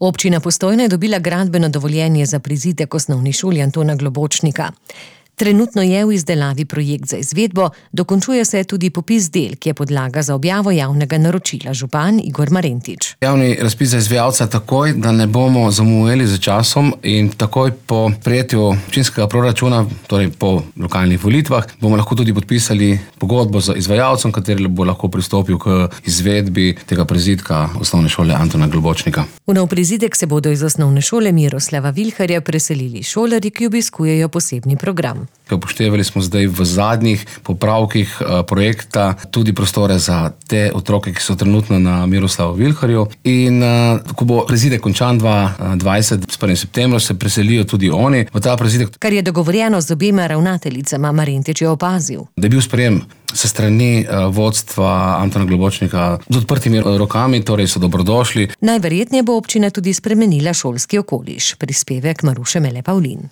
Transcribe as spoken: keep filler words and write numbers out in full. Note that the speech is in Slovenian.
Občina Postojna je dobila gradbeno dovoljenje za prizidek osnovni šoli Antona Globočnika. Trenutno je v izdelavi projekt za izvedbo, dokončuje se tudi popis del, ki je podlaga za objavo javnega naročila, župan Igor Marentič. Javni razpis za izvajalca takoj, da ne bomo zamujali za časom, in takoj po prejetju občinskega proračuna, torej po lokalnih volitvah, bomo lahko tudi podpisali pogodbo z izvajalcem, kateri bo lahko pristopil k izvedbi tega prizidka osnovne šole Antona Globočnika. V nov prizidek se bodo iz osnovne šole Miroslava Vilharja preselili šolarji, ki obiskujejo posebni program. Upoštevali smo zdaj v zadnjih popravkih projekta tudi prostore za te otroke, ki so trenutno na Miroslavu Vilharju, in ko bo prizidek končan dva tisoč dvajset, s prvim septembrom, se preselijo tudi oni v ta prizidek. Kar je dogovorjeno z obema ravnateljicama, Marentič je opazil. Da je bil sprejem se strani vodstva Antona Globočnika z odprtimi rokami, torej so dobrodošli. Najverjetneje bo občina tudi spremenila šolski okoliš. Prispevek Maruše Mele Pavlin.